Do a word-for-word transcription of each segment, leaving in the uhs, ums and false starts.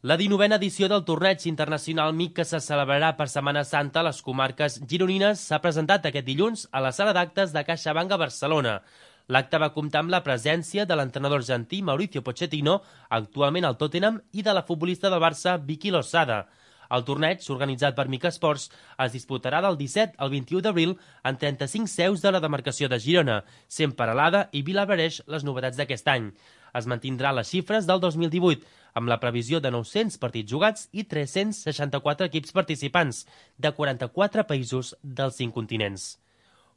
La dinovena edició del torneig internacional M I C que se celebrarà per Setmana Santa a les comarques gironines s'ha presentat aquest dilluns a la sala d'actes de CaixaBank a Barcelona. L'acte va comptar amb la presència de l'entrenador argentí Mauricio Pochettino, actualment al Tottenham, i de la futbolista del Barça Vicky Losada. El torneig, organitzat per M I C Esports, es disputarà del disset al vint-i-u d'abril en trenta-cinc seus de la demarcació de Girona, sent Peralada i Vilablareix les novetats d'aquest any. Es mantindrà les xifres del dos mil divuit, amb la previsió de nou-cents partits jugats i tres-cents seixanta-quatre equips participants, de quaranta-quatre països dels cinc continents.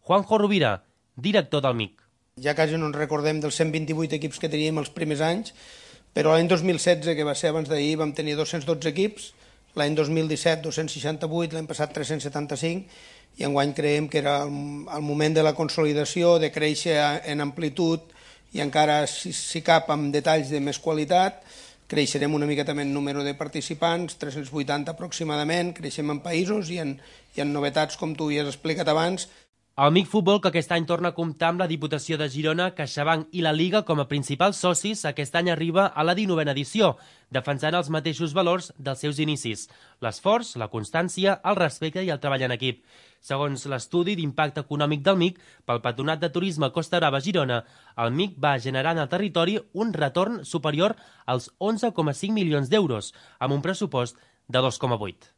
Juanjo Rovira, director del M I C. Ja quasi no ens recordem dels cent vint-i-vuit equips que teníem els primers anys, però l'any dos mil setze, que va ser abans d'ahir, vam tenir dos-cents dotze equips, l'any dos mil disset dos-cents seixanta-vuit, l'any passat tres-cents setanta-cinc, i enguany creiem que era el moment de la consolidació, de créixer en amplitud i encara, si, si cap, amb detalls de més qualitat. Creixerem una miqueta en número de participants, tres-cents vuitanta aproximadament, creixem en països i en, i en novetats, com tu ja has explicat abans. El M I C Futbol, que aquest any torna a comptar amb la Diputació de Girona, CaixaBank i la Liga com a principals socis, aquest any arriba a la dinovena edició, defensant els mateixos valors dels seus inicis: l'esforç, la constància, el respecte i el treball en equip. Segons l'estudi d'impacte econòmic del M I C pel Patronat de Turisme Costa Brava Girona, el M I C va generar en el territori un retorn superior als onze coma cinc milions d'euros, amb un pressupost de dos coma vuit.